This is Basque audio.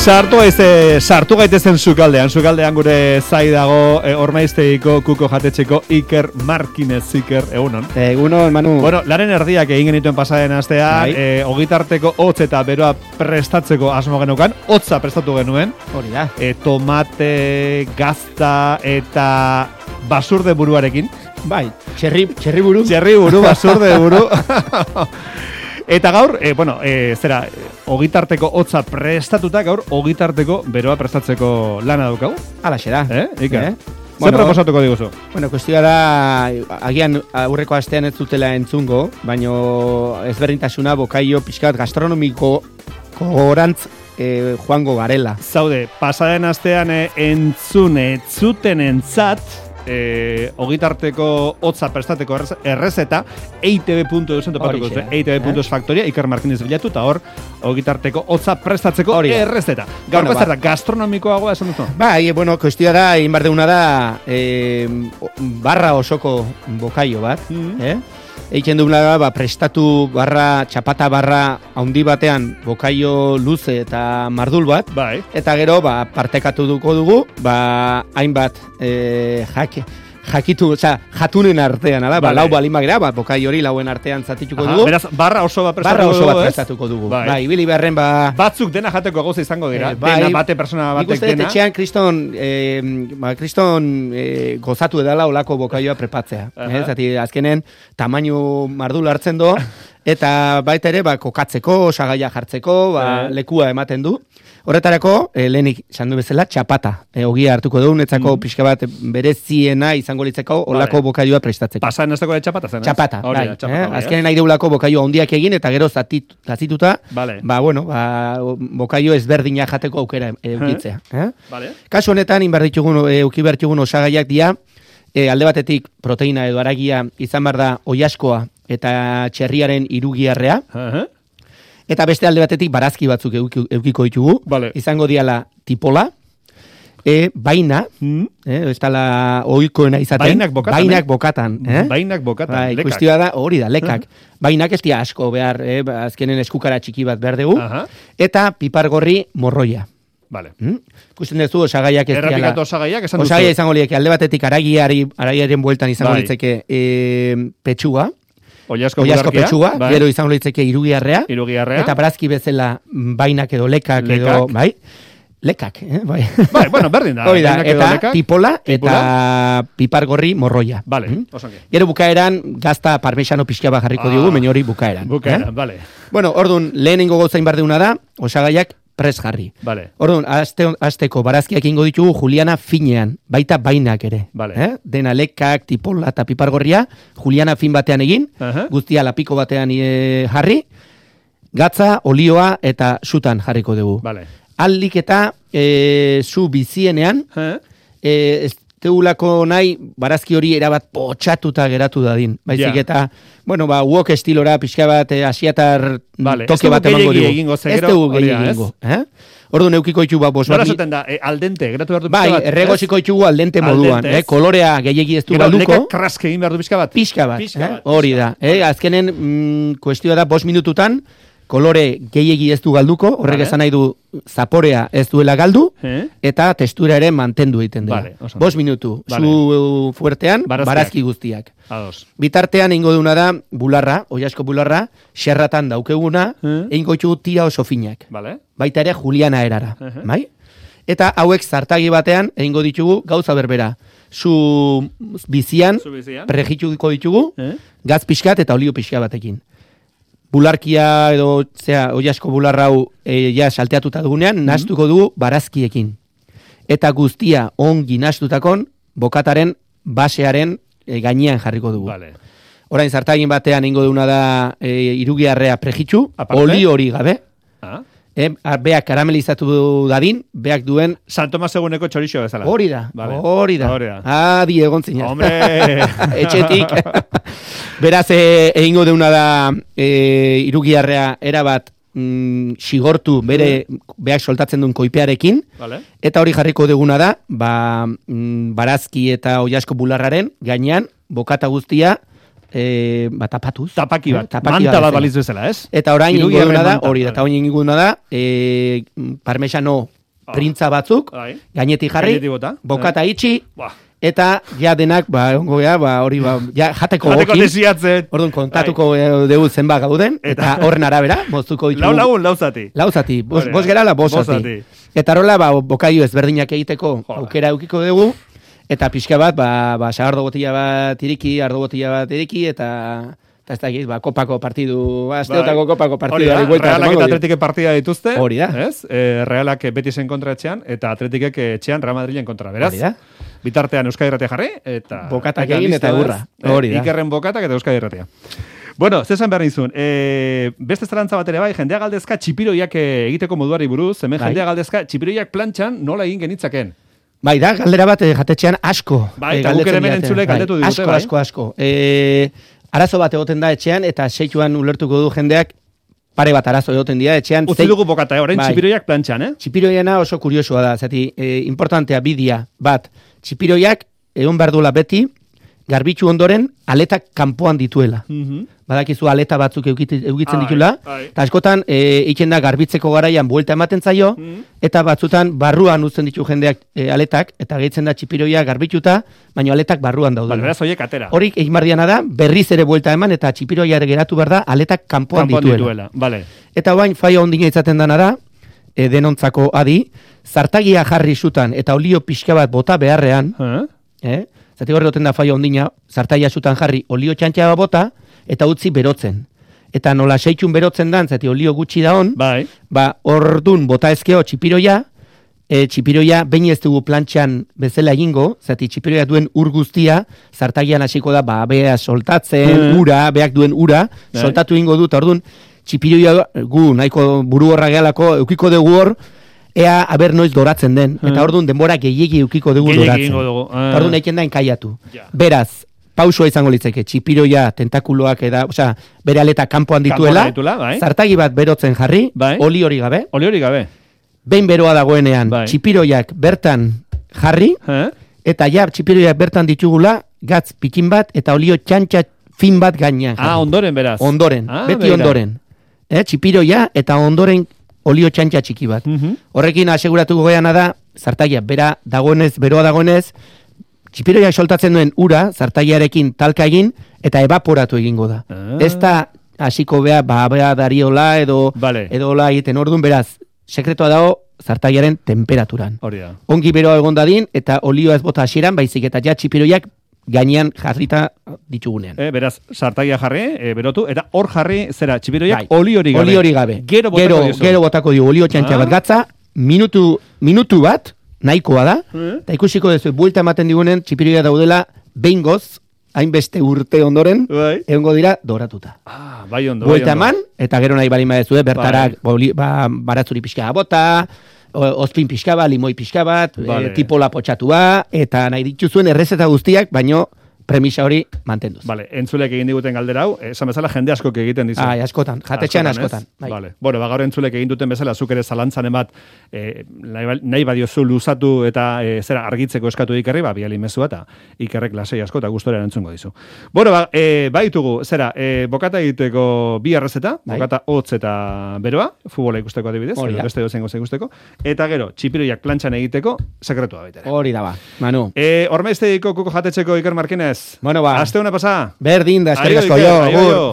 Sartu gaitezen sukaldean gure zai dago Ormaiztegiko kuko jatetxeko Iker Markinez. Iker, egunon. Egunon, Manu. Bueno, laren erdiak egin genituen pasaden astean, ogitarteko hotz eta beroa prestatzeko asmo genukan, hotza prestatu genuen. Hori da. Tomate, gazta eta basurde buruarekin. Bai, txerri buru. Txerri buru, basurde buru. Eta gaur, ogitarteko hotza prestatuta, gaur ogitarteko beroa prestatzeko lana daukagu. Alaxe da. Zer proposatuko diguzu? Bueno, kuestioa da, agian aurreko astean ez dutela entzungo, baino ezberdintasuna bokaio pixkat gastronomiko gorantz joango garela. Zaude, pasaden astean entzuten entzat, ogitarteko hotza prestateko errezeta eitb.eusen topatuko dute, eitb.eusfaktoria, Iker Markinez bilatu, eta hor ogitarteko hotza prestatzeko errezeta. Gaurko zer da, gastronomikoagoa esan duzu? Bai, bueno, kuestioa da, egin behar deuna da barra osoko bokaio bat, Eiken dugula da, prestatu barra, txapata barra haundi batean bokaio luze eta mardul bat. Bai. Eta gero, partekatu dugu, hainbat jatunen artean, lau balimagera, bokai hori lauen artean zatituko dugu. Beraz, barra oso bat prestatuko dugu. Bai, ibili beharren batzuk dena jateko gauza izango dira. Dena bate persona batek dena. Nik uste kriston gozatu edala olako bokaioa prepatzea. Zati, azkenen, tamainu mardul hartzen do, eta baita ere, kokatzeko, osagaia jartzeko, lekua ematen du. Horretarako, lehenik sandu bezala, txapata. Ogia hartuko dugu, netzako pixka bat bereziena izango litzeko olako bokaioa prestatzeko. Pasan ez dago txapata zen, ez? Txapata, bai. Azkenen nahi deulako bokaio handiak egin, eta gero zatituta, bokaio ezberdina jateko aukera eukitzea. Kasu honetan, eukibertxugun osagaiak dia, alde batetik proteina edo aragia izan behar da oiaskoa eta txerriaren irugiarrea, eta beste alde batetik barazki batzuk eukiko ditugu, izango diala tipola, baina, ez tala oikoena izaten, bainak bokatan. Bainak bokatan, lekak. Kuestioa da, hori da, lekak. Bainak ez dia asko behar, azkenen eskukara txiki bat behar dugu, eta pipargorri morroia. Kusten duzu, osagaiak ez diala. Errapikatu osagaiak, esan duzu. Osagaia izango lieke, alde batetik aragiaren bueltan izango litzeke petxua, Oiasko petxua, gero izango litzeke irugiarrea, eta barazki bezala bainak edo lekak edo, bai? Lekak, bai. Bai, bueno, berdin da. Eta tipola eta pipargorri morroia. Vale, osongi. Gero bukaeran, gazta parmesano pixka bat jarriko diogu, meni hori bukaeran. Bukaeran, vale. Bueno, orduan, lehenengo gauzain bardeuna da, osagaiak pres jarri. Vale. Orduan, azteko barazkiak ingo ditugu Juliana finean, baita bainak ere. Vale. Dena lekak, tipola eta pipargorria, Juliana fin batean egin, guztia lapiko batean jarri, gatza, olioa eta sutan jarriko dugu. Vale. Aldik eta zu bizienean, ez teulako nahi barazki hori erabat potxatuta geratu dadin. Baizik eta, wok estilora pixka bat asiatar toke bat emango dugu. Ez dugu gehiago. Orduan eukiko itxu bat Nola zuten da, aldente, geratu behar du pixka bat? Bai, erregoziko itxugu aldente moduan. Kolorea gehiagi ez du galduko. Lekak kraske egin behar du pixka bat? Pixka bat, hori da. Azkenen, kuestioa da, 5 minututan, kolore gehiegi ez du galduko, horrek esan nahi du zaporea ez duela galdu, eta testura ere mantendu egiten dela. 5 minutu, zu fuertean, barazki guztiak. Bitartean eingo duna da, bularra, oiasko bularra, xerratan daukeguna, eingo txugu tira oso finak. Baita ere Juliana erara. Eta hauek zartagi batean, eingo ditugu gauza berbera. Zu bizian, prejitxuko ditugu, gaz pixkat eta olio pixka batekin. Bularkia edo, oiasko bularrau salteatuta dugunean, nastuko dugu barazkiekin. Eta guztia ongi nastutakon, bokataren basearen gainean jarriko dugu. Orain zartagin batean ingo duguna da irugiarrea prejitxu, oli hori gabe. Beak karamelizatu dadin, beak duen... San Tomas eguneko txorixo bezala. Hori da. Adi egon zina. Hombre! Etxetik. Beraz, egingo deuna da irugiarrea erabat xigortu beak soltatzen duen koipearekin, eta hori jarriko duguna da, barazki eta oiasko bularraren gainean bokata guztia tapatuz. Tapaki bat, manta bat baliz bezala, ez? Eta orain inguduna da, hori, eta orain inguduna da, parmesano printza batzuk, gainetik jarri, bokata itxi, eta ja denak, hori, jateko gokin. Orduan, kontatuko dugu zenba gauden, eta horren arabera, moztuko ditugu. Lauzati, bos gerala, bosati. Eta rola, bokaio ezberdinak egiteko aukera eukiko dugu, eta pixka bat, sagardo botila bat iriki, eta ez da egiz, kopako partidu, asteotako kopako partidu. Realak eta Atletikek partida dituzte. Hori da. Realak Betisen kontra etxean, eta Atletikek etxean Real Madrilen kontra, beraz. Bitartean Euskadi Irratia jarri, eta... Bokatak egin eta burra. Hori da. Ikerren bokatak eta Euskadi Irratia. Bueno, zezan behar nizun, beste zerantza bat ere bai, jendea galdezka txipiroiak egiteko moduari buruz, hemen jendea galdezka txipiroiak plantxan nola egin genitzaken. Bai, da, galdera bat jatetxean asko. Bai, eta guk ere hemen entzule galdetu digute, bai. Asko. Arazo bat egoten da etxean, eta seituan ulertuko du jendeak, pare bat arazo egoten dira etxean. Utzi dugu bokata, orain txipiroiak plantxan, Txipiroiana oso kuriosua da, zati, importantea bidia bat, txipiroiak egon behar duela beti, garbitzu ondoren aletak kanpoan dituela. Badakizu aleta batzuk eukitzen ditula, eta askotan iken da garbitzeko garaian buelta ematen zaio, eta batzutan barruan uzten ditu jendeak aletak, eta gehitzen da txipiroia garbitzuta, baina aletak barruan daudela. Beraz, horiek atera. Horik egin bardiana da, berriz ere buelta eman, eta txipiroia geratu behar da, aletak kanpoan dituela. Eta bain, faia ondina izaten dana da, denontzako adi, zartagia jarri zutan, eta olio pixka bat bota beharrean, zati horre goten da faia ondina, zartagia zutan jarri olio txantxaba bota, eta utzi berotzen. Eta nola seitxun berotzen dan, zati olio gutxi da hon, ordun bota ezkeo txipiroia, txipiroia behin ez dugu plantxan bezala egingo, zati txipiroia duen ur guztia, zartagian hasiko da, bea soltatzen, beak duen ura, soltatu egingo dut, ordun txipiroia gu, nahiko buru horra gehalako, eukiko dugu hor, ea aber noiz doratzen den, eta orduan denbora gehiegi eukiko dugu doratzen. Orduan eiken da enkaiatu. Beraz, pausua izango litzeke, txipiroia tentakuloak bere aleta kanpoan dituela, zartagi bat berotzen jarri, oli hori gabe. Behin beroa dagoenean, txipiroiak bertan jarri, eta txipiroiak bertan ditugula, gatz pikin bat, eta olio txantxa fin bat gainean. Ondoren beraz. Ondoren, beti ondoren. Txipiroia eta ondoren olio txantxa txiki bat. Horrekin aseguratuko geana da, zartagia beroa dagoenez, txipiroia soltatzen duen ura, zartagiarekin talka egin, eta evaporatu egingo da. Ez da hasiko bea dariola edo la egiten orduan, beraz, sekretoa dago zartagiaren temperaturan. Ongi beroa egon dadin, eta olioa ez bota hasieran, baizik eta txipiroiak gainean jarrita ditugunean. Beraz, zartagia jarri, berotu, eta hor jarri, zera, txipiroiak oli hori gabe. Oli hori gabe. Gero botako dio olio txantxa bat gatza, minutu bat, nahikoa da, eta ikusiko dezu, buelta ematen digunen, txipiroia daudela, behingoz, hainbeste urte ondoren, egongo dira, doratuta. Bai ondo. Buelta eman, eta gero nahi balin badezu, bertarak baratzuri pixka bota, ospin pixka bat, limoi pixka bat, tipola potxatua, eta nahi dituzuen errezeta guztiak, baino premisa hori mantenduz. Entzulek egin diguten galdera hau, esan bezala jende askok egiten dizu. Askotan, jatetxean askotan. Gaur entzulek egin duten bezala, zuk ere zalantzan emat, nahi badiozu luzatu eta zera argitzeko eskatu ikerri, biali mezua eta ikerrek lasei asko eta gustorean entzungo dizu. Baitugu, zera, bokata egiteko bi errezeta, bokata hotz eta beroa, futbola ikusteko adibidez, beste dozengo ikusteko, eta gero, txipiroiak plantxan egiteko, sekretua baitere. Hori da ba, Manu. Hormeizteiko kuko jatetxeko Iker Markinez. Bueno, ba. Aste hona pasa. Berdin da, eskerrik asko jo.